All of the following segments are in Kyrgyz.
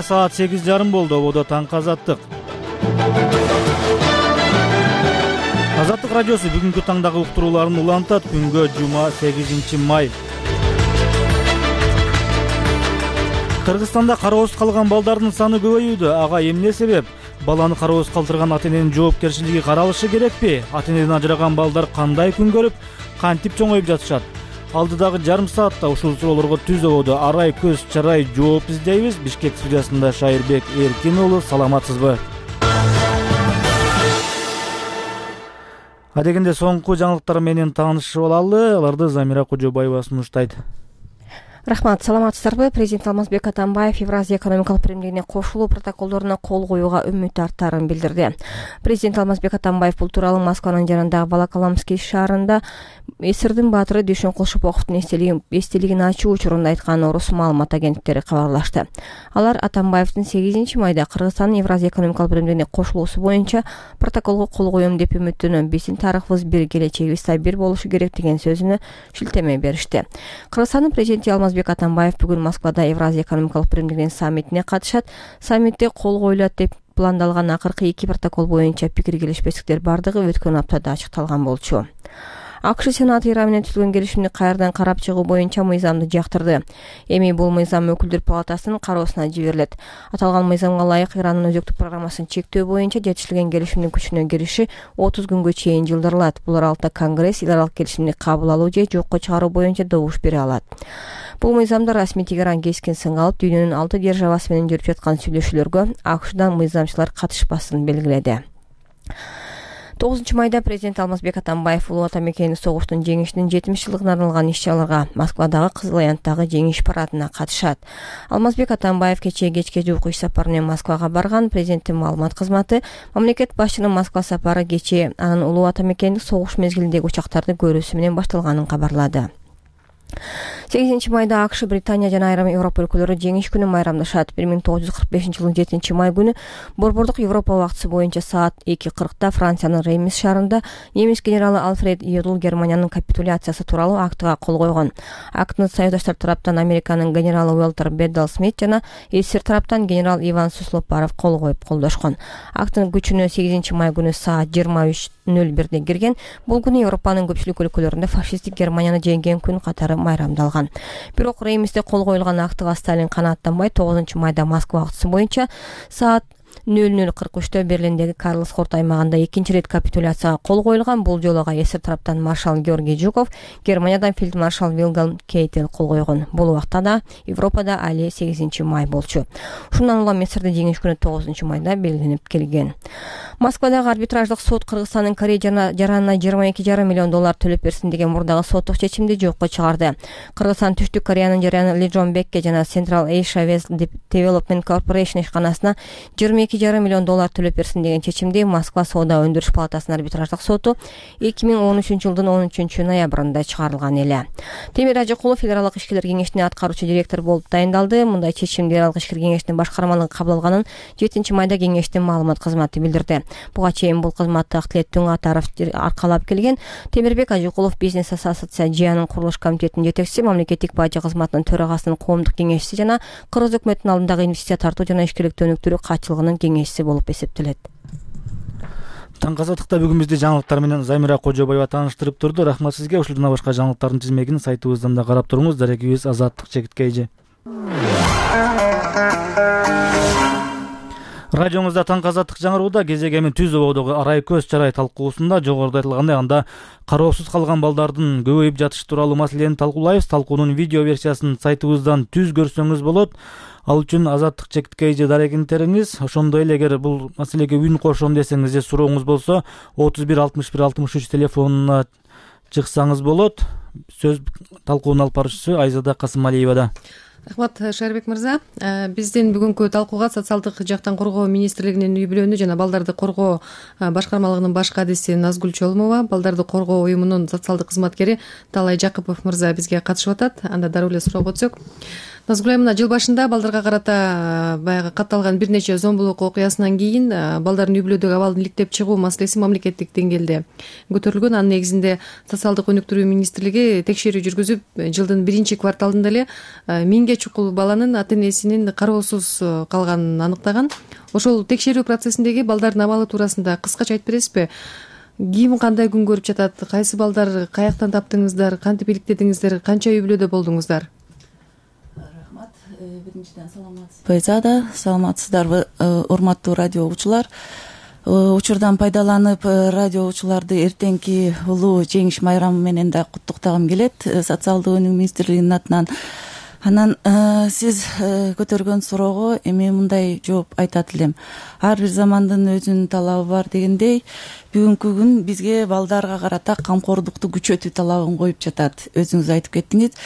Кенже саат 8:30 болду. Ободо таңкы азаттык. Азаттык радиосу бүгүнкү таңдагы уктурууларын улантат. Күнгө жума 8 май. Кыргызстанда кароосуз калган балдардын саны көбөйүүдө. Ага эмне себеп? Баланы кароосуз калтырган ата-эненин жоопкерчилиги каралышы керекпи? Ата-энеден ажыраган балдар кандай күн көрүп, кантип чоңоюп жатышат? Алдыдагы жарым саатта ушул суроолорго түз ободо арай көз чарай жооп издейбиз. Бишкек студиясында Шайырбек Эркин уулу, саламатсызбы? Адегенде соңку жаңылыктар менен таанышып алалы. Аларды Замира Кожобаева сунуштайт. Рахмат, саламатсыздарбы? Президент Алмазбек Атамбаев Евразия экономикалык биримдигине кошулуу протоколдоруна кол коюуга үмүт арттарын билдирди. Президент Алмазбек Атамбаев бул тууралуу Москванын жанындагы Волоколамский шаарында СССРдин баатыры Дүйшөн Кулшуповдун эстелигин ачуу учурунда айткан орус маалымат агенттиктери кабарлашты. Алар Атамбаевдин 8 майда Кыргызстандын Евразия экономикалык биримдигине кошулуусу боюнча протоколго кол коем деп үмүттөнөм. Биздин тарыхыбыз бир, келечегибиз бир болушу керек деген сөзүнө шилтеме беришти. Кыргызстандын президенти Алмазбек Атамбаев бүгүн Москвада Евразия экономикалык биримдигинин саммитине катышат. Саммитте кол коюлат деп пландалган акыркы 2 протокол боюнча пикир келишпестиктер бардыгы өткөн аптада ачыкталган болчу. АКШ Сенаты Иран менен түзүлгөн келишимди кайрадан карап чыгуу боюнча мыйзамды жактырды. Эми бул мыйзам өкүлдөр палатасынын кароосуна жиберилет. Аталган мыйзамга ылайык Ирандын өзөктүк программасын чектөө боюнча жетишилген келишимдин күчүнө кириши 30 күнгө чейин жылдырылат. Бул аралыкта Конгресс эл аралык келишимди кабыл алуу же жокко чыгаруу боюнча добуш бере алат. Бул мыйзамда расмий Тегеран кескин сынга алып, дүйнөнүн 6 державасы менен жүрүп жаткан сүйлөшүүлөргө АКШдан мыйзамчылар катышпасын белгиледи. 9 майда президент Алмазбек Атамбаев улуу ата мекени согуштун жеңишинин 70 жылдыгына арналган иш-чараларга Москвадагы Кызыл Аянттагы жеңиш парадына катышат. Алмазбек Атамбаев кечке жуук иш сапары менен Москвага барган. Президенттин маалымат кызматы мамлекет башчынын Москва сапары кечээ анын улуу ата мекендик согуш мезгилиндеги учактарды көрүүсү менен башталганын кабарлады. 8 майда АКШ, Британия жана айрым Европа өлкөлөрү жеңиш күнүн майрамдашат. 1945-жылдын 7 май күнү борбордук Европа убактысы боюнча саат 2:40 Франциянын Реймс шаарында немис генералы Альфред Йодл Германиянын капитуляциясы тууралуу актыга кол койгон. Актыны союздаштар тараптан Американын генералы Уолтер Беддал Смит жана СССР тараптан генерал Иван Суслов-Баров кол коюп колдошкон. Актынын күчүнө 8 май күнү саат 23:01 кирген. Бул күнү Европанын көпчүлүк өлкөлөрүндө фашисттик Германияны жеңген күн катары майрамдалган. Бирок Реймсте кол коюлган актыга Сталин канааттанбай 9 майда Москва убактысы боюнча саат 00:43 Берлиндеги Карлс Хорт аймагында экинчи рет капитуляцияга кол коюлган. Бул жолу СССР тараптан маршал Георгий Жуков, Германиядан фельдмаршал Вильгельм Кейтель кол койгон. Бул убакта да Европада али 8 май болчу. Ушундан улам СССРдин жеңиш күнү 9 майда белгиленип келген. Москвадагы арбитраждык сот Кыргызстандын Корея жаранына $22,5 миллион төлөп берсин деген мурдагы соттук чечимди жокко чыгарды. Кыргызстан Түштүк Кореянын жараны Ли Джон Бекке жана Central Asia West Development Corporation ишканасына $22,5 миллион төлөп берсин деген чечимди Москва соода өндүрүш палатасынын арбитраждык соту 2013-жылдын 13 ноябрында чыгарылган эле. Темир Ажыкулов эл аралык ишкерлер кеңешине аткаруучу директор болуп дайындалды. Мындай чечимди эл аралык ишкерлер кеңешинин башкармалыгы кабыл алганын 7 майда кеңештин маалымат кызматы билдирди. Буга чейин бул кызматты Актилет Түңатаров аркалап келген. Темирбек Ажыкулов бизнес ассоциациянын курулуш комитетинин жетекчиси, мамлекеттик бажы кызматынын төрагасынын коомдук кеңешчиси жана Кыргыз өкмөтүнүн алдындагы инвестиция тартуу жана ишкерликти өнүктүрүү катчылыгынын кеңешчиси болуп эсептелет. Таңкы азаттыкта бүгүн бизди жаңылыктар менен Замира Кожобаева тааныштырып турду. Рахмат сизге. Ушул жана башка жаңылыктардын тизмегин сайтыбыздан да карап туруңуз. Дарегибиз Азаттык чекиткейжи. Радиоңузда таңкы азаттык жаңырууда кезек эми түз ободогу арай көз чарай талкуусунда жогоруда айтылгандай анда кароосуз калган балдардын көбөйүп жатышы тууралуу маселени талкуулайбыз. Талкуунун видео версиясын сайтыбыздан түз көрсөңүз болот. Ал үчүн Азаттык чекиткейжи дарегинтериңиз. Ошондой эле эгер бул маселеге үн кошом десеңиз же сурооңуз болсо 31 61 63 телефонуна чыксаңыз болот. Сөз талкуунун алып баруучусу Айзада Касымалиевада. Рахмат, Шайырбек мырза. Биздин бүгүнкү талкууга социалдык жактан коргоо министрлигинин үй бүлөнү жана балдарды коргоо башкармалыгынын баш кадиси Назгүл Чолмова, балдарды коргоо уюмунун социалдык кызматкери Талай Жакыпов мырза бизге катышып атат. Анда дароо эле суроого өтсөк. Назгүл айым, мына жыл башында балдарга карата баягы катталган бир нече зомбулук окуясынан кийин балдардын үй бүлөдөгү абалын иликтеп чыгуу маселеси мамлекеттик деңгээлде көтөрүлгөн. Анын негизинде социалдык өнүктүрүү министрлиги текшерүү жүргүзүп, жылдын 1-кварталында эле 1000ге чукул баланын ата энесинин кароосуз калганын аныктаган. Ошол текшерүү процессиндеги балдардын абалы туурасында кыскача айтып бересизби? Ким кандай күн көрүп жатат, кайсы балдар каяктан таптыңыздар, кантип иликтедиңиздер, канча үй бүлөдө болдуңуздар? Рахмат. Биринчиден саламатсызбы? Саламатсыздарбы, урматтуу радио угуучулар? Учурдан пайдаланып, радио угуучуларды эртеңки улуу жеңиш майрамы менен да куттуктагым келет, социалдык өнүгүү министрлигинин атынан. Анан сиз көтөргөн суроого эми мындай жооп айтат элем. Ар бир замандын өзүнүн талабы бар дегендей, бүгүнкү күн бизге балдарга карата камкордукту күчөтүү талабын коюп жатат. Өзүңүз айтып кеттиңиз.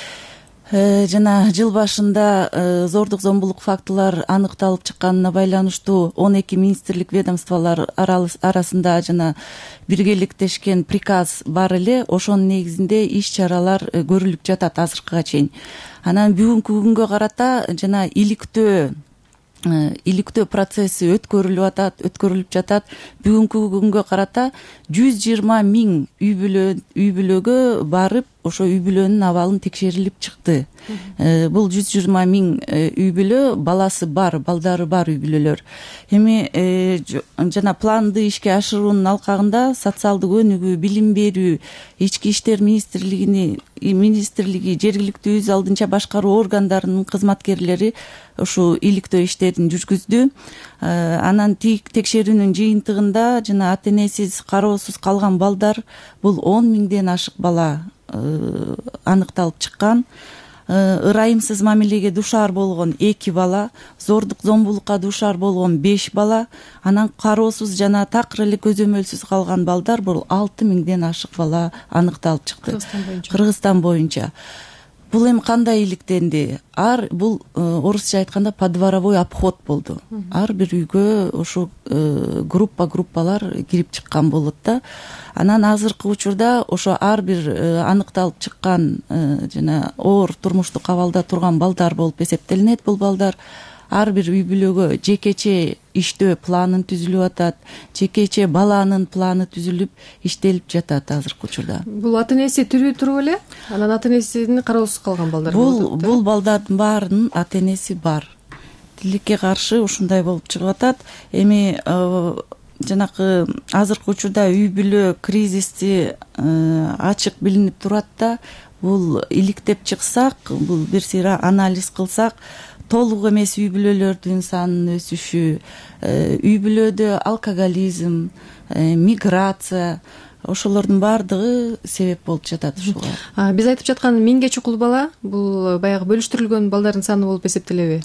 Жана жыл башында зордук зомбулук фактылар аныкталып чыкканына байланыштуу 12 министрлик ведомстволор арасында жана биргеликтешкен приказ бар эле. Ошонун негизинде иш чаралар көрүлүп жатат азыркыга чейин. Анан бүгүнкү күнгө карата жана иликтөө процесси өткөрүлүп жатат. Бүгүнкү күнгө карата 120 000 үй бүлөгө барып, ошо үй бүлөнүн абалын текшерилип чыкты. Бул 120 000 үй бүлө баласы бар, балдары бар үй бүлөлөр. Эми жана планды ишке ашыруунун алкагында социалдык өнүгүү, билим берүү, ички иштер министрлиги, жергиликтүү өз алдынча башкаруу органдарынын кызматкерлери ушу иликтөө иштерин жүргүздү. Анан текшерүүнүн жыйынтыгында жана ата энесиз, кароосуз калган балдар бул 10 000ден ашык бала аныкталып чыккан. Ырайымсыз мамилеге дуушар болгон 2 бала, зордук зомбулукка дуушар болгон 5 бала, анан кароосуз жана такыр эле көзөмөлсүз калган балдар бул 6 000ден ашык бала аныкталып чыкты. Кыргызстан боюнча. Бул эми кандай иликтенди? Бул орусча айтканда подворовой обход болду. Ар бир үйгө ошо группалар кирип чыккан болот да. Анан азыркы учурда ошо ар бир аныкталып чыккан жана оор турмуштук абалда турган балдар болуп эсептелинет. Бул балдар ар бир үй бүлөгө жекече иштөө планын түзүлүп атат, жекече баланын планы түзүлүп иштелип жатат азыркы учурда. Бул ата энеси тирүү туруп эле, анан ата энесинин кароосуз калган балдар болот. Бул балдардын баарынын ата энеси бар. Тилекке каршы ушундай болуп чыгып атат. Эми жанакы азыркы учурда үй бүлө кризиси ачык билинип турат да. Бул иликтеп чыксак, бул бир сыйра анализ кылсак, толук эмес үй бүлөлөрдүн санынын өсүшү, үй бүлөдө алкоголизм, миграция, ошолордун баардыгы себеп болуп жатат ушуга. Биз айтып жаткан 1000ге чукул бала, бул баягы бөлүштүрүлгөн балдардын саны болуп эсептелеби?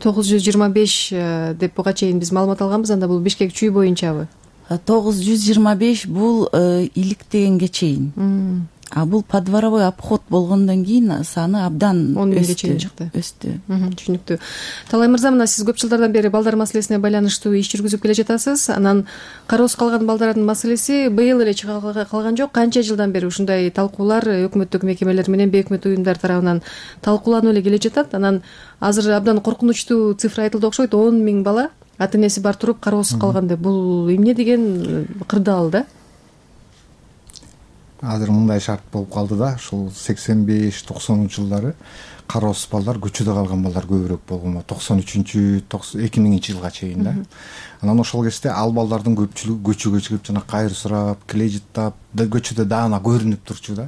925 деп буга чейин биз маалымат алганбыз, анда бул Бишкек чүй боюнчабы? 925 бул иликтегенге чейин. Бул подворовой обход болгондон кийин саны абдан 10 000ге чейин чыкты. Өстү. Түшүнүктүү. Талай мырза, мына сиз көп жылдардан бери балдар маселесине байланыштуу иш жүргүзүп келе жатасыз. Анан кароосуз калган балдардын маселеси быйыл эле чыга калган жок. Канча жылдан бери ушундай талкуулар өкмөттүк мекемелер менен бейөкмөт уюмдар тарабынан талкууланып эле келе жатат. Анан азыр абдан коркунучтуу цифра айтылды окшойт. 10 000 бала ата энеси бар туруп кароосуз калган деп. Бул эмне деген кырдаал да? Азыр мындай шарт болуп калды да, ушул 85-90 жылдары кароосуз балдар, көчөдө калган балдар көбүрөөк болгон. 93-2000 жылга чейин да. Анан ошол кезде ал балдардын көпчүлүгү көчөгө чыгып жана кайыр сурап, киле жыттап, көчөдө даана көрүнүп турчу да.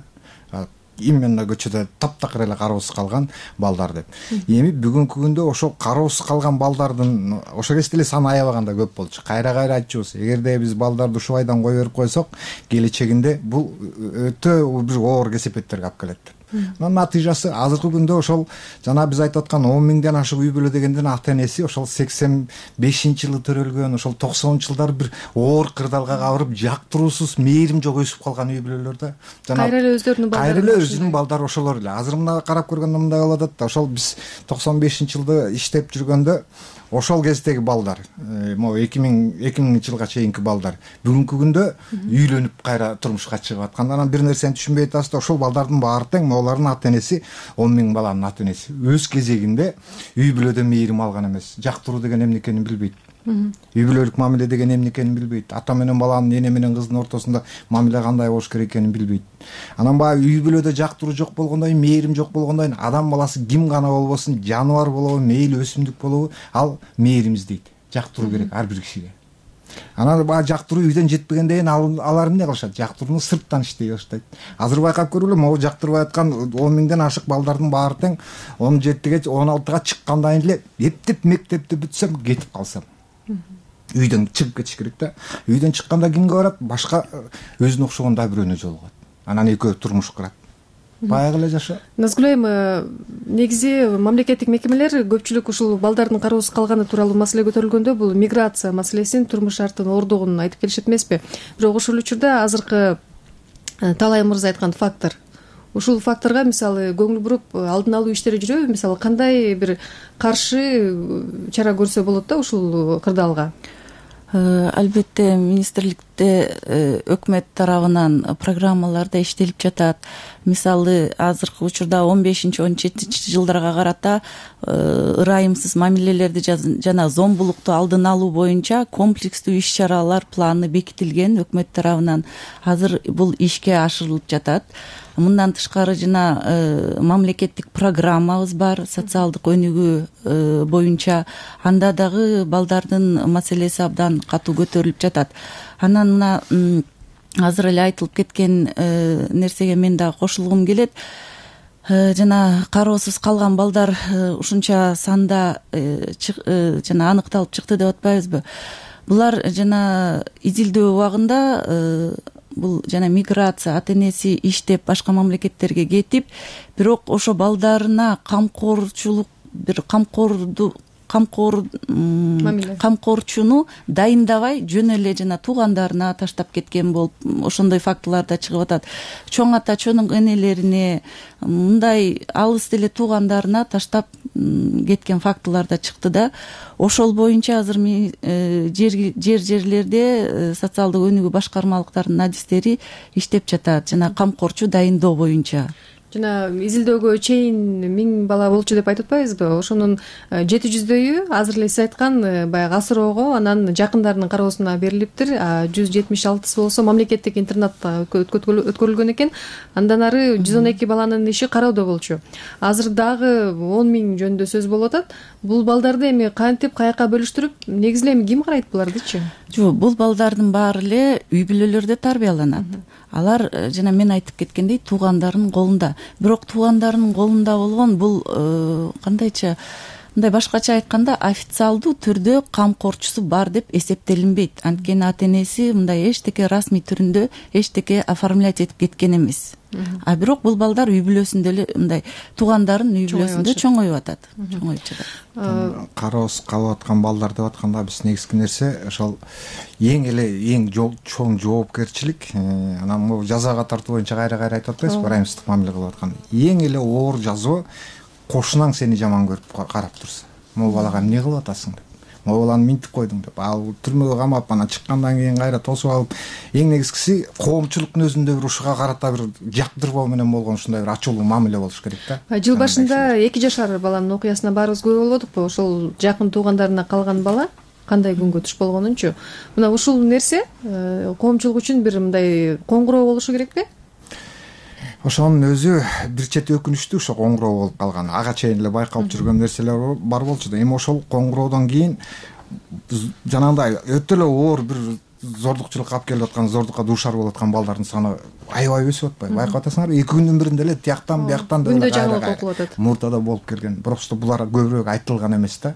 Именно көчөдө таптакыр эле кароосуз калган балдар деп. Эми бүгүнкү күндө ошо кароосуз калган балдардын ошо кезде эле саны аябаганда көп болчу. Кайра айтчубуз, эгерде биз балдарды ушубайдан кое берип койсок, келечегинде бул өтө бир оор кесепеттерге алып келет. Анан натыйжасы азыркы күндө ошол жана биз айтып аткан 10 000ден ашык үй бүлө дегенден ата энеси ошол 85-жылы төрөлгөн, ошол 90-жылдары бир оор кырдаалга кабырып, жактыруусуз, мээрим жок өсүп калган үй бүлөлөр да. Кайра эле өзүнүн балдары ошолор эле. Азыр мына карап көргөндө мындай болуп атат да, ошол биз 95-жылды иштеп жүргөндө ошол кездеги балдар, могу 2000 жылга чейинки балдар бүгүнкү күндө үйлөнүп кайра турмушка чыгып аткан. Анан бир нерсени түшүнбөй атасыз да, ошол балдардын баары тең алардын ата энеси 10 000 баланын ата энеси өз кезегинде үй бүлөдөн мээрим алган эмес, жактыруу деген эмне экенин билбейт. Үй бүлөлүк мамиле деген эмне экенин билбейт. Ата менен баланын, эне менен кыздын ортосунда мамиле кандай болуш керек экенин билбейт. Анан баягы үй бүлөдө жактыруу жок болгондон кийин, мээрим жок болгондон кийин адам баласы ким гана болбосун, жаныбар болобу, мейли өсүмдүк болобу, ал мээрим издейт. Жактыруу керек ар бир кишиге. Анан баягы жактыруу үйдөн жетпегенден кийин алар эмне кылышат? Жактырууну сырттан иштей баштайт. Азыр байкап көргүлө, могу жактырбай аткан 10 000ден ашык балдардын баары тең 17-ге, 16-га чыккандан кийин эле эптеп мектепти бүтсөм, кетип калсам. Үйдөн чыгып кетиш керек да. Үйдөн чыкканда кимге барат? Башка өзүнө окшогон да бирөөнө жолугат. Анан экөө турмуш курат. Баягы эле жаша. Назгүл айым, негизи мамлекеттик мекемелер көпчүлүк ушул балдардын кароосуз калганы тууралуу маселе көтөрүлгөндө бул миграция маселесин, турмуш шарттын ордугун айтып келишет эмеспи? Бирок ошол учурда азыркы Талай мырза айткан фактор, ушул факторго мисалы көңүл буруп алдын алуу иштери жүрөбү? Мисалы кандай бир каршы чара көрсө болот да ушул кырдаалга? Албетте министрликте өкмөт тарабынан программалар да иштелип жатат. Мисалы азыркы учурда 15-17 жылдарга карата ырайымсыз мамилелерди жана зомбулукту алдын алуу боюнча комплекстүү иш-чаралар планы бекитилген өкмөт тарабынан. Азыр бул ишке ашырылып жатат. Мындан тышкары жана мамлекеттик программабыз бар, социалдык өнүгүү боюнча. Анда дагы балдардын маселеси абдан катуу көтөрүлүп жатат. Анан мына азыр эле айтылып кеткен нерсеге мен дагы кошулгум келет. Жана кароосуз калган балдар ушунча санда жана аныкталып чыкты деп атпайбызбы? Булар жана изилдөө убагында бул жана миграция, ата энеси иштеп башка мамлекеттерге кетип, бирок ошо балдарына камкорчулук, бир камкорчуну дайындабай жөн эле жана туугандарына таштап кеткен болуп, ошондой фактылар да чыгып атат. Чоң ата, чоң энелерине, мындай алыс эле туугандарына таштап кеткен фактылар да чыкты да. Ошол боюнча азыр жерлерде социалдык өнүгүү башкармалыктарынын адистери иштеп жатат, жана камкорчу дайындоо боюнча. Жана изилдөөгө чейин 1000 бала болчу деп айтып атпайбызбы? Ошонун 700дөйү азыр эле сиз айткан баягы асыроого, анан жакындарынын кароосуна берилиптир. 176 болсо мамлекеттик интернатта өткөрүлгөн экен. Андан ары 112 баланын иши кароодо болчу. Азыр дагы 10 000 жөнүндө сөз болуп атат. Бул балдарды эми кантип, каяка бөлүштүрүп, негизи эми ким карайт булардычы? Жок, бул балдардын баары эле үй бүлөлөрдө тарбияланат. Алар жана мен айтып кеткендей туугандарынын колунда. Бирок туугандарынын колунда болгон бул кандайча, мындай башкача айтканда официалдуу түрдө камкорчусу бар деп эсептелинбейт. Анткени ата энеси мындай эчтеке расмий түрүндө эчтеке оформлять этип кеткен эмес. А бирок бул балдар үй бүлөсүндө эле мындай туугандарынын үй бүлөсүндө чоңоюп атат. Чоңоюп жатат. Кароосуз калып аткан балдар деп атканда биз негизги нерсе ошол эң чоң жоопкерчилик. Анан могу жазага тартуу боюнча кайра айтып атпайсызбы, ырайымсыздык мамиле кылып аткан. Эң эле оор жазоо кошунаң сени жаман көрүп карап турса. Могу балага эмне кылып атасың деп. Могу баланы минтип койдуң деп. Ал түрмөгө камап, анан чыккандан кийин кайра тосуп алып, эң негизгиси коомчулуктун өзүндө бир ушуга карата бир жактырбоо менен болгон ушундай бир ачуулуу мамиле болуш керек да. Жыл башында 2 жашар баланын окуясына баарыбыз күбө болдукпу? Ошол жакын туугандарына калган бала кандай күнгө туш болгонунчу. Мына ушул нерсе коомчулук үчүн бир мындай коңгуроо болушу керекпи? Ошонун өзү бир чети өкүнүчтүү, ошо коңгуроо болуп калган. Ага чейин эле байкалып жүргөн нерселер бар болчу да. Эми ошол коңгуроодон кийин жанагындай өтө эле оор бир зордукчулукка алып келип аткан, зордукка дуушар болуп аткан балдардын саны аябай өсүп атпайбы? Байкап атасыңарбы? 2 күндүн биринде эле тияктан бияктан күндө жаңылык окулуп атат. Мурдада болуп келген. Просто булар көбүрөөк айтылган эмес да.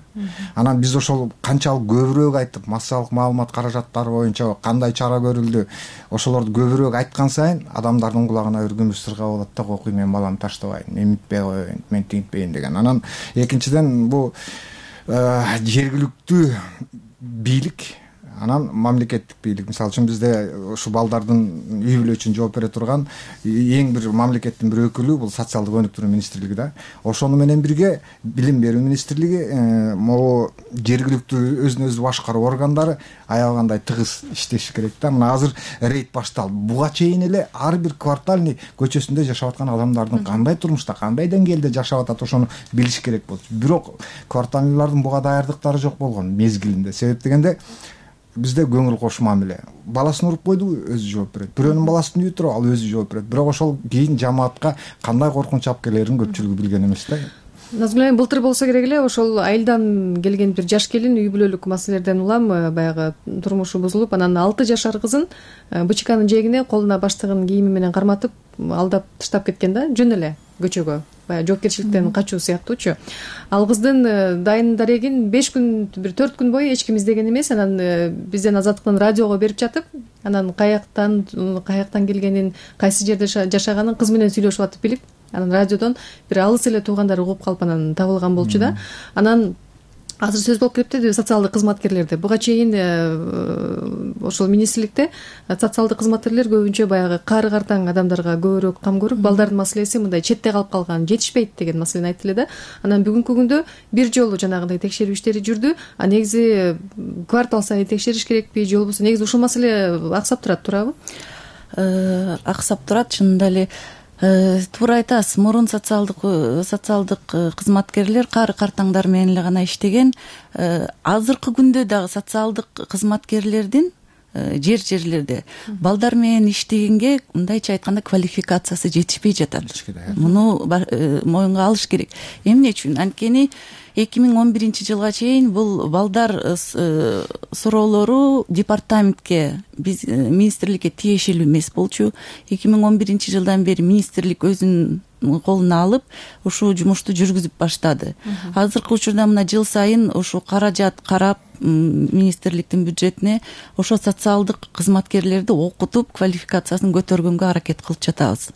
Анан биз ошол канчалык көбүрөөк айтып, массалык маалымат каражаттары боюнча кандай чара көрүлдү, ошолорду көбүрөөк айткан сайын адамдардын кулагына бир күмүш сырга болот да, окуй мен баламды таштабайын, эмитпей коеюн, мен тинтпейин деген. Анан экинчиден бул жергиликтүү бийлик Анан мамлекеттик бийлик, мисалы үчүн бизде ушу балдардын үй бүлө үчүн жооп бере турган эң бир мамлекеттин бир өкүлү бул социалдык өнүктүрүү министрлиги да. Ошону менен бирге билим берүү министрлиги, могу жергиликтүү өзүн өзү башкаруу органдары аябагандай тыгыз иштеши керек да. Мына азыр рейд башталды. Буга чейин эле ар бир квартальный көчөсүндө жашап аткан адамдардын кандай турмушта, кандай деңгээлде жашап атат, ошону билиш керек болчу. Бирок квартальныйлардын буга даярдыктары жок болгон мезгилинде. Себеп дегенде бизде көңүл кош мамиле. Баласын уруп койдубу, өзү жооп берет. Бирөөнүн баласын үйүп туруп, ал өзү жооп берет. Бирок ошол кийин жамаатка кандай коркунуч алып келерин көпчүлүгү билген эмес да. Назгүл айым, былтыр болсо керек эле ошол айылдан келген бир жаш келин үй бүлөлүк маселелерден улам баягы турмушу бузулуп, анан 6 жашар кызын БЧКнын жээгине колуна баштыгын кийими менен карматып алдап таштап кеткен да, жөн эле көчөгө. Баягы жоопкерчиликтен качуу сыяктуучу. Ал кыздын дайын дарегин 5 күн, бир 4 күн бою эч ким издеген эмес. Анан бизден Азаттыктын радиого берип жатып, анан каяктан келгенин, кайсы жерде жашаганын кыз менен сүйлөшүп атып билип, анан радиодон бир алыс эле туугандары угуп калып анан табылган болчу да. Анан азыр сөз болуп келиптир социалдык кызматкерлерде. Буга чейин ошол министрликте социалдык кызматкерлер көбүнчө баягы кары картаң адамдарга көбүрөөк кам көрүп, балдардын маселеси мындай четте калып калган, жетишпейт деген маселени айтты эле да. Анан бүгүнкү күндө бир жолу жанагындай текшерүү иштери жүрдү. Негизи квартал сайын текшериш керекпи, же болбосо негизи ушул маселе аксап турат, туурабы? Аксап турат, чынында эле. Туура айтасыз, мурун социалдык кызматкерлер кары картаңдар менен эле гана иштеген. Азыркы күндө дагы социалдык кызматкерлердин жерлерде балдар менен иштегенге, мындайча айтканда, квалификациясы жетишпей жатат. Муну моюнга алыш керек. Эмне үчүн? Анткени 2011-жылга чейин бул балдар суроолору департаментке, биз министрликке тиешелүү эмес болчу. 2011-жылдан бери министрлик өзүнүн колуна алып, ушул жумушту жүргүзүп баштады. Азыркы учурда мына жыл сайын ушу каражат карап, министрликтин бюджетине ошо социалдык кызматкерлерди окутуп, квалификациясын көтөргөнгө аракет кылып жатабыз.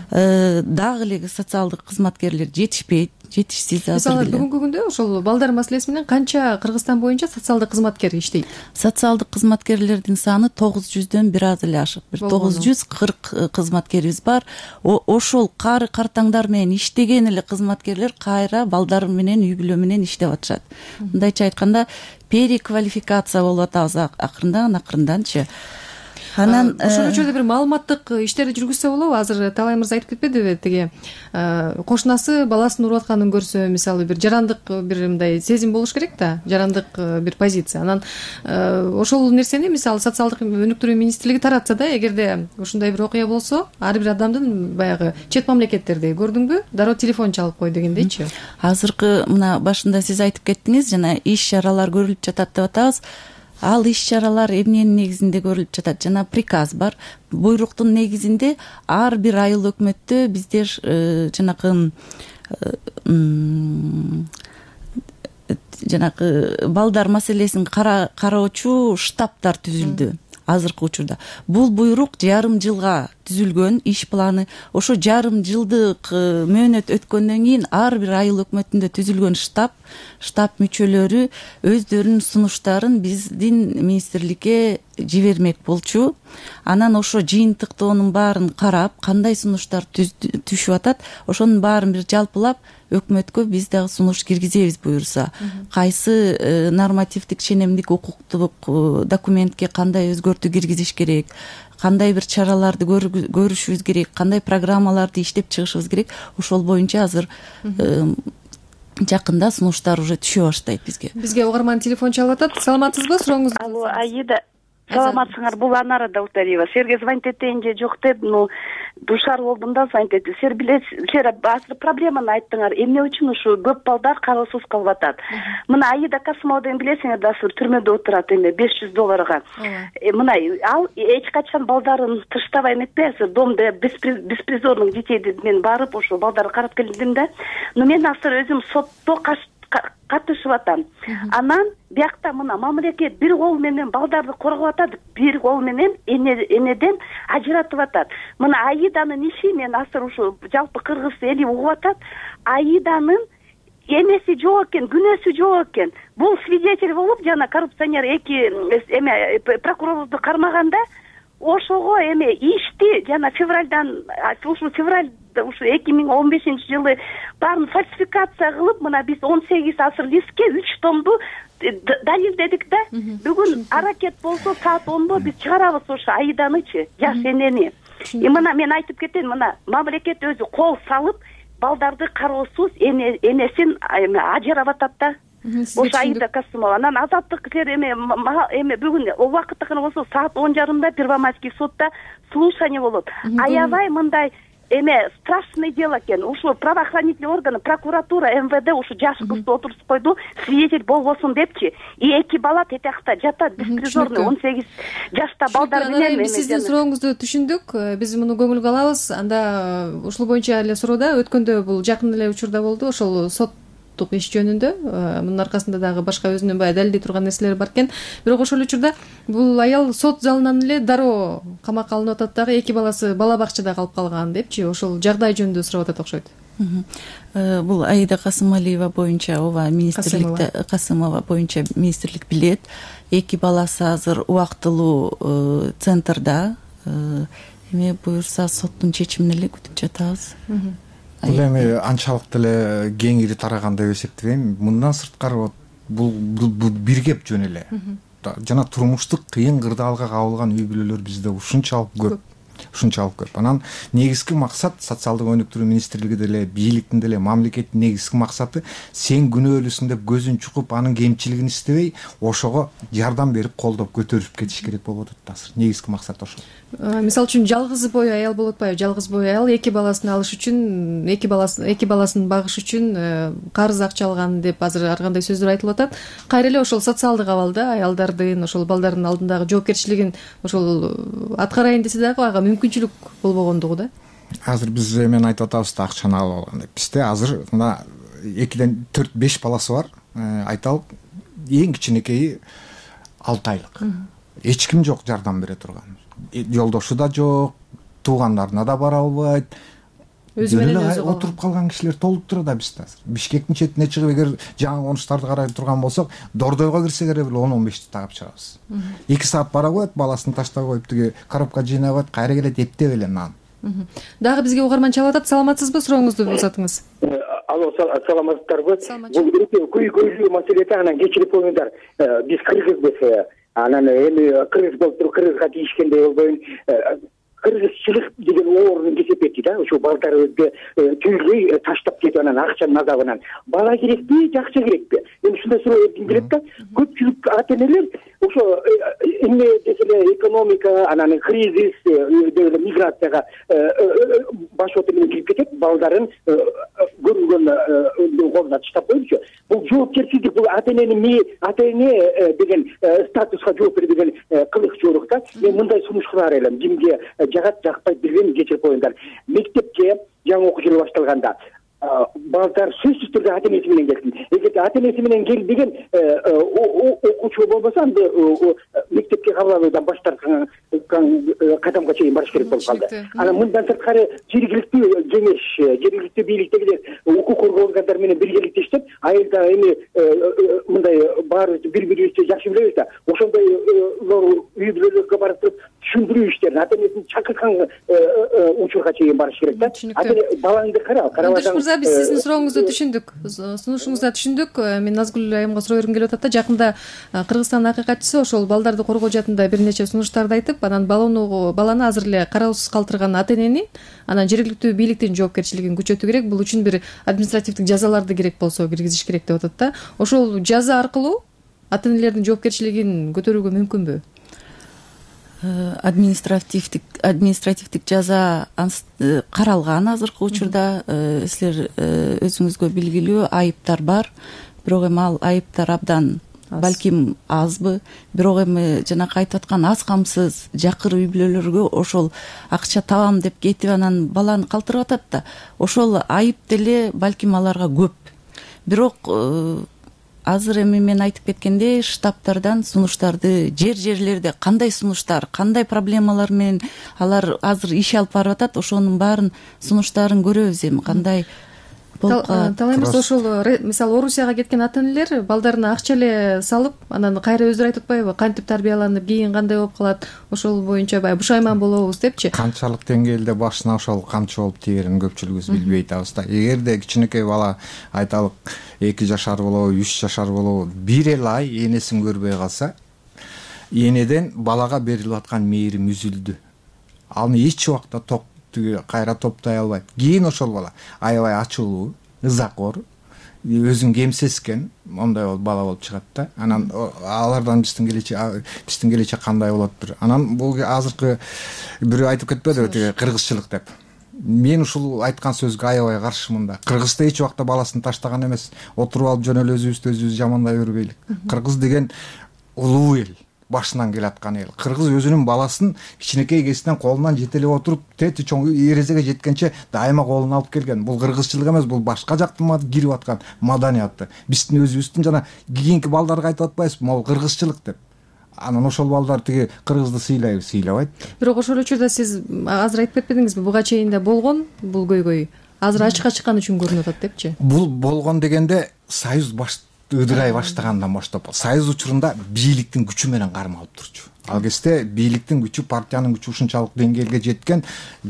Дагы эле социалдык кызматкерлер жетишпейт, жетишсиз азыр. Мисалы, бүгүнкү күндө ошол балдар маселеси менен канча Кыргызстан боюнча социалдык кызматкер иштейт? Социалдык кызматкерлердин саны 900дөн бир аз эле ашык. Бир 940 кызматкерибиз бар. Ошол кары картаңдар менен иштеген эле кызматкерлер кайра балдар менен, үй бүлө менен иштеп атышат. Мындайча айтканда, переквалификация болуп атабыз акырынданчы. Анан ошол учурда бир маалыматтык иштерди жүргүзсө болобу? Азыр Талай мырза айтып кетпедиби, тиги кошунасы баласын уруп атканын көрсө, мисалы бир жарандык бир мындай сезим болуш керек да, жарандык бир позиция. Анан ошол нерсени мисалы социалдык өнүктүрүү министрлиги таратса да, эгерде ушундай бир окуя болсо, ар бир адамдын баягы чет мамлекеттерде көрдүңбү, дароо телефон чалып кой дегендейчи. Азыркы мына башында сиз айтып кеттиңиз, жана иш-чаралар көрүлүп жатат деп атабыз. Ал иш-чаралар эмненин негизинде көрүлүп жатат? Жана приказ бар. Буйруктун негизинде ар бир айыл өкмөттө биздер жанакы балдар маселесин кароочу штабтар түзүлдү. Азыркы учурда бул буйрук жарым жылга түзүлгөн иш планы. Ошо жарым жылдык мөөнөт өткөндөн кийин ар бир айыл өкмөтүндө түзүлгөн штаб мүчөлөрү өздөрүнүн сунуштарын биздин министрликке жибермек болчу. Анан ошо жыйынтыктоонун баарын карап, кандай сунуштар түшүп атат, ошонун баарын бир жалпылап өкмөткө биз дагы сунуш киргизебиз буюрса. Кайсы нормативдик ченемдик укуктук документке кандай өзгөртүү киргизиш керек, кандай бир чараларды көрүшүбүз керек, кандай программаларды иштеп чыгышыбыз керек, ошол боюнча азыр жакында сунуштар уже түшө баштайт бизге. Бизге угарман телефон чалып атат. Саламатсызбы? Сурооңузду. Алло, Аида. Саламатсыңар? Бул Анара Даутариева. Силерге звонить этейин же жок деп, душар болдум да, звонить этти. Силер билесиз, силер азыр проблеманы айттыңар. Эмне үчүн ушу көп балдар кароосуз калып атат? Мына Аида Касымова деген билесиңер да, түрмөдө отурат эми $500. Мына ал эч качан балдарын тыштабай эметпей, азыр домдо беспризорных детей мен барып ошо балдарды карап келдим да. Но мен азыр өзүм сотто катышып атам. Анан биякта мына мамлекет бир кол менен балдарды коргоп атат, бир кол менен энеден ажыратып атат. Мына Аиданын иши, мен азыр ушу жалпы кыргыз эли угуп атат. Аиданын эмеси жок экен, күнөөсү жок экен. Бул свидетель болуп жана коррупционер эки прокурорду кармаганда ошого ишти жана февралдан ушу 2015-жылы баарын фальсификация кылып, мына биз 18 асыр листке 3 томду далилдедик да. Бүгүн аракет болсо саат 10до биз чыгарабыз ошо Айданычы, жаш энени. Мына мен айтып кетейин, мына мамлекет өзү кол салып балдарды кароосуз энесин ажырап атат да. Ошо Аида Касымова. Анан азаттык бүгүн убакыттыкына болсо саат 10:30 Первомайский сотта слушание болот. Аябай мындай страшный дело экен. Ушу правоохранительный органы, прокуратура, МВД ушу жаш кызды отурсуп койду, свидетель болбосун депчи. И эки бала тетиякта жатат, беспризорный 18 жашта балдар менен. Биз сиздин сурооңузду түшүндүк. Биз муну көңүлгө алабыз. Анда ушул боюнча эле суроода өткөндө бул жакын эле учурда болду. Ошол сот иш жөнүндө мунун аркасында дагы башка өзүнүн баягы далилдей турган нерселери бар экен. Бирок ошол учурда бул аял сот залынан эле дароо камакка алынып атат дагы, эки баласы бала бакчада калып калган депчи. Ошол жагдай жөнүндө сурап атат окшойт. Бул Аида Касымалиева боюнча ооба министрликте Касымова боюнча министрлик билет. Эки баласы азыр убактылуу центрда. Эми буюрса соттун чечимин эле күтүп жатабыз. Бул анчалык деле кеңири тараган деп эсептебейм. Мындан сырткары бул бир кеп жөн эле. Жана турмуштук кыйын кырдаалга кабылган үй бүлөлөр бизде ушунчалык көп. Анан негизги максат социалдык өнүктүрүү министрлиги деле, бийликтин деле, мамлекеттин негизги максаты сен күнөөлүүсүң деп көзүн чукуп, анын кемчилигин истебей, ошого жардам берип, колдоп көтөрүп кетиш керек болуп атат азыр. Негизги максат ошол. Мисалы үчүн жалгыз бой аял болуп атпайбы? Жалгыз бой аял эки баласын алыш үчүн, эки баласын багыш үчүн карыз акча алган деп азыр ар кандай сөздөр айтылып атат. Кайра эле ошол социалдык абалда аялдардын, ошол балдардын алдындагы жоопкерчилигин ошол аткарайын десе дагы ага мүмкүнчүлүк болбогондугу да. Азыр биз мен айтып атабыз да, акчаны алып алган деп. Бизде азыр мына 2-4-5 баласы бар. Айталык, эң кичинекейи 6 айлык. Эч ким жок жардам бере турган. Жолдошу да жок, туугандарына да бара албайт. Өзү менен өзү отуруп калган кишилер толуп турат бизде азыр. Бишкектин четине чыгып, эгер жаңы конуштарды карай турган болсок, Дордойго кирсек эле 10-15 тагып чыгабыз. 2 саат бара коет, баласын таштап коюп, тиги коробка жыйнап коет, кайра келет эптеп эле нан. Дагы бизге угарман чалып атат. Саламатсызбы? Сурооңузду узатыңыз. Алло, саламатсыздарбы? Бул көйгөйлүү маселеде анан кечирип коюңуздар. Биз кыргызбыз. Анан эми кыргыз болуп туруп кыргызга тийишкендей болбойм. Кыргызчылык деген оорун кесип кетти да. Ошо балдарыбызды түйлөй таштап кетип, анан акчанын азабынан. Бала керекпи, жакчы керекпи? Эми ушундай суроо келет да. Көпчүлүк ата-энелер ошо эмне деселе экономика, анан кризис, миграцияга башоты менен кирип кетет, балдарын көрүнгөн колуна таштап коюлчу. Бул жоопкерчилик, бул ата-энени деген статуска жооп берген кылыкчулук да. Мен мындай сунуш кылар элем. Кимге жагат, жакпайт билбейм, кечирип коюңдар. Мектепке жаңы окуу жылы башталганда балдар сөзсүз түрдө ата-энеси менен келсин. Эгер ата-энеси менен келбеген окуучу болбосо, анда мектепке кабыл алуудан баш тарткан кадамга чейин барыш керек болуп калды. Анан мындан сырткары жергиликтүү кеңеш, жергиликтүү бийликтегилер укук коргоо органдары менен биргеликте иштеп, айылда эми мындай баарыбыз бири-бирибизди жакшы билебиз да, ошондой үй бүлөлөргө барып туруп түшүндүрүү иштерин ата-энесин чакырткан учурга чейин барыш керек да. Ата-эне балаңды карабасаң. Биз сиздин сурооңузду түшүндүк. Сунушуңузду түшүндүк. Мен Назгүл айымга суроо бергим келип атат да. Жакында Кыргызстандын акыйкатчысы ошол балдарды коргоо жаатында бир нече сунуштарды айтып, анан баланы азыр эле кароосуз калтырган ата-энени, анан жергиликтүү бийликтин жоопкерчилигин күчөтүү керек. Бул үчүн бир административдик жазаларды керек болсо киргизиш керек деп атат да. Ошол жаза аркылуу ата-энелердин жоопкерчилигин көтөрүүгө мүмкүнбү? Административдик жаза каралган азыркы учурда. Силер өзүңүзгө белгилүү айыптар бар, бирок эми ал айыптар абдан балким азбы, бирок эми жанакы айтып аткан аз камсыз жакыр үй бүлөлөргө ошол акча табам деп кетип анан баланы калтырып атат да, ошол айып деле балким аларга көп. Бирок азыр эми мен айтып кеткендей, штабтардан сунуштарды, жерлерде кандай сунуштар, кандай проблемалар менен алар азыр иш алып барып атат, ошонун баарын сунуштарын көрөбүз эми кандай. талай эмес ошол мисалы Орусияга кеткен ата энелер балдарына акча эле салып, анан кайра өздөрү айтып атпайбы, кантип тарбияланып, кийин кандай болуп калат, ошол боюнча баягы бушайман болобуз депчи. Канчалык деңгээлде башына ошол камчы болуп тиерин көпчүлүгүбүз билбей атабыз да. Эгерде кичинекей бала, айталык 2 жашар болобу, 3 жашар болобу, бир эле ай энесин көрбөй калса, энеден балага берилип аткан мээрим үзүлдү. Аны эч убакта кайра топтой албайт. Кийин ошол бала аябай ачуулуу, ызакор, өзүн кемсескен мондай бала болуп чыгат да. Анан алардан биздин келечек кандай болот? Анан бул азыркы бирөө айтып кетпедиби, тиги кыргызчылык деп. Мен ушул айткан сөзгө аябай каршымын да. Кыргызда эч убакта баласын таштаган эмес. Отуруп алып жөн эле өзүбүз жамандай бербейлик. Кыргыз деген улуу эл, башынан келаткан эл. Кыргыз өзүнүн баласын кичинекей кезинен колунан жетелеп отуруп, тети чоң эрезеге жеткенче дайыма колуна алып келген. Бул кыргызчылык эмес, бул башка жактан кирип аткан маданияты. Биздин өзүбүздүн жана кийинки балдарга айтып атпайбызбы, могу кыргызчылык деп. Анан ошол балдар тиги кыргызды сыйлабайт. Бирок ошол учурда сиз азыр айтып кетпедиңизби, буга чейин да болгон бул көйгөй. Азыр ачыкка чыккан үчүн көрүнүп атат депчи. Бул болгон дегенде союз ыдырай баштагандан баштап, союз учурунда бийликтин күчү менен кармалып турчу. Ал кезде бийликтин күчү, партиянын күчү ушунчалык деңгээлге жеткен,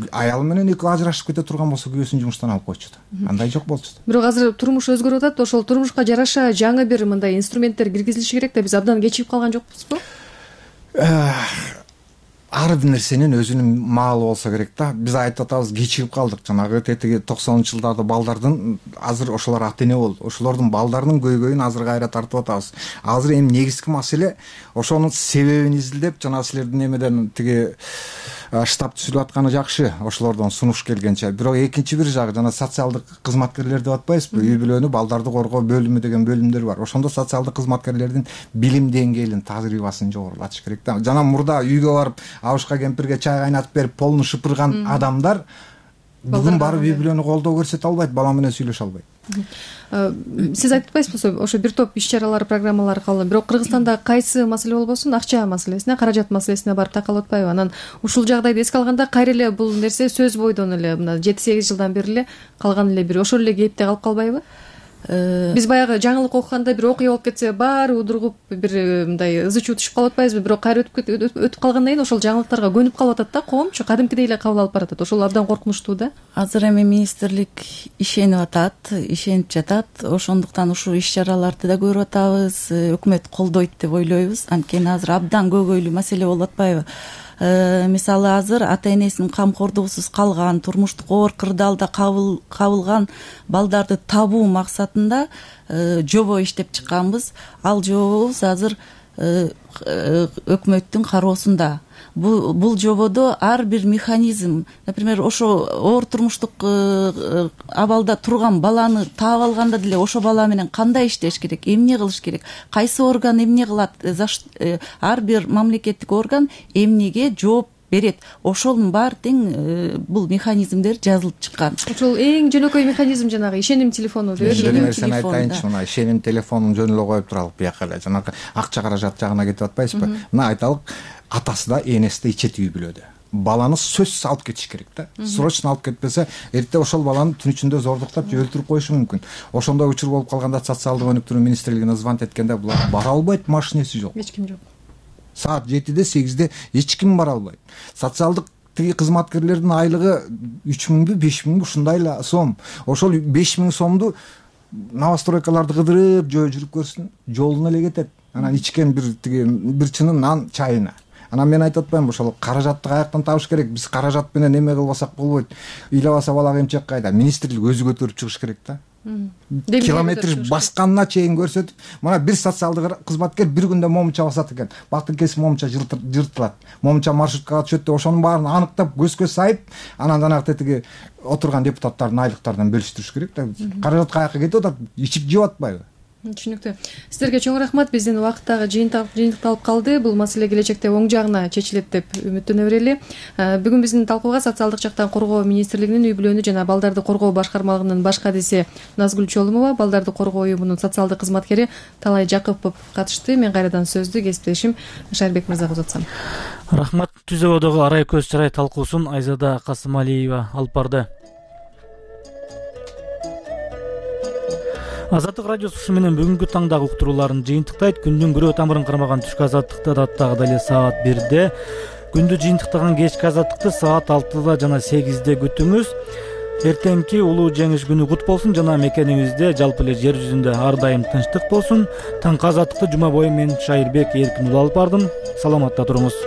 аялы менен экөө ажырашып кете турган болсо күйөөсүн жумуштан алып койчу да. Андай жок болчу да. Бирок азыр турмуш өзгөрүп атат, ошол турмушка жараша жаңы бир мындай инструменттер киргизилиши керек да, биз абдан кечигип калган жокпузбу? Ар бир нерсенин өзүнүн маалы болсо керек да. Биз айтып атабыз, кечигип калдык. Жанагы тетиги 90-жылдарда балдардын азыр ошолор ата эне болду. Ошолордун балдарынын көйгөйүн азыр кайра тартып атабыз. Азыр эми негизги маселе ошонун себебин изилдеп, жана силердин эмеден тиги штаб түзүлүп атканы жакшы, ошолордон сунуш келгенче. Бирок экинчи бир жагы, жана социалдык кызматкерлер деп атпайбызбы? Үй бүлөнү, балдарды коргоо бөлүмү деген бөлүмдөр бар. Ошондо социалдык кызматкерлердин билим деңгээлин, тажрыйбасын жогорулатыш керек да. Жана мурда үйгө барып абышка кемпирге чай кайнатып берип, полун шыпырган адамдар бүгүн барып үй бүлөнү колдоо көрсөтө албайт, бала менен сүйлөшө албайт. Сиз айтып атпайсызбы, ошо бир топ иш-чаралар, программалар калды. Бирок Кыргызстанда кайсы маселе болбосун, акча маселесине, каражат маселесине барып такалып атпайбы? Анан ушул жагдайды эске алганда, кайра эле бул нерсе сөз бойдон эле мына 7-8 жылдан бери эле калган эле бир ошол эле кейипте калып калбайбы? Биз баягы жаңылык окуганда бир окуя болуп кетсе, баары удургуп бир мындай ызы чуу түшүп калып атпайбызбы? Бирок кайра өтүп калгандан кийин ошол жаңылыктарга көнүп калып атат да, коомчу кадимкидей эле кабыл алып баратат. Ошол абдан коркунучтуу да. Азыр эми министрлик ишенип жатат. Ошондуктан ушул иш-чараларды да көрүп атабыз. Өкмөт колдойт деп ойлойбуз. Анткени азыр абдан көйгөйлүү маселе болуп атпайбы? Мисалы азыр ата энесинин камкордугусуз калган, турмуштук оор кырдаалда кабылган балдарды табуу максатында жобо иштеп чыкканбыз. Ал жобобуз азыр өкмөттүн кароосунда. Бул жободо ар бир механизм, например, ошо оор турмуштук абалда турган баланы таап алганда деле ошо бала менен кандай иштеш керек, эмне кылыш керек, кайсы орган эмне кылат, ар бир мамлекеттик орган эмнеге жооп берет. Ошонун баары тең бул механизмдер жазылып чыккан. Ошол эң жөнөкөй механизм жанагы ишеним телефону деп. Ишеним телефону айтайынчы, мына ишеним телефонун жөн эле коюп туралык бияка эле. Жанагы акча каражат жагына кетип атпайсызбы? Мына айталык, атасы да энеси да ичет үй бүлөдө. Баланы сөзсүз алып кетиш керек да. Срочно алып кетпесе, эрте ошол баланы түн ичинде зордуктап же өлтүрүп коюшу мүмкүн. Ошондой учур болуп калганда социалдык өнүктүрүү министрлигине звонить эткенде булар бара албайт, машинеси жок. Эч ким жок. Саат 7-де 8-де эч ким бара албайт. Социалдык тиги кызматкерлердин айлыгы 3000бү 5000бү ушундай эле сом. Ошол 5000 сомду новостройкаларды кыдырып жүрүп көрсүн, жолуна эле кетет. Анан ичкен бир чынын нан чайына. Анан мен айтып атпаймынбы, ошол каражатты каяктан табыш керек? Биз каражат менен эме кылбасак болбойт. Ыйлабаса балага эмчек кайда? Министрлик өзү көтөрүп чыгыш керек да. Километр басканына чейин көрсөтүп, мына бир социалдык кызматкер бир күндө момунча басат экен. Бактын кесип момунча жыртылат. Момунча маршруткага түшөт деп ошонун баарын аныктап, көз сайып, анан жанагы тетиги отурган депутаттардын айлыктарынан бөлүштүрүш керек да. Каражат каяка кетип атат? Ичип жеп атпайбы? Түшүнүктүү. Сиздерге чоң рахмат. Биздин убакыттагы жыйынтыкталып калды. Бул маселе келечекте оң жагына чечилет деп үмүттөнө берели. Бүгүн биздин талкууга социалдык жактан коргоо министрлигинин үй бүлөнү жана балдарды коргоо башкармалыгынын баш кадиси Назгүл Чолумова, балдарды коргоо уюмунун социалдык кызматкери Талай Жакыпов катышты. Мен кайрадан сөздү кесиптешим Шарбек мырзага узатсам. Рахмат. Түзөгөдөгү арай көз чарай талкуусун Айзада Касымалиева алып барды. Азаттык радиосу ушу менен бүгүнкү таңдагы уктурууларын жыйынтыктайт. Күндүн күрөө тамырын кармаган түшкү азаттыкты даттагы эле саат 1-де, күндү жыйынтыктаган кечки азаттыкты саат 6-да жана 8-де күтүңүз. Эртеңки улуу жеңиш күнү кут болсун жана мекениңизде жалпы эле жер жүзүндө ар дайым тынчтык болсун. Таңкы азаттыкты жума бою мен Шайырбек Эркин улуу алып бардым. Саламатта туруңуз.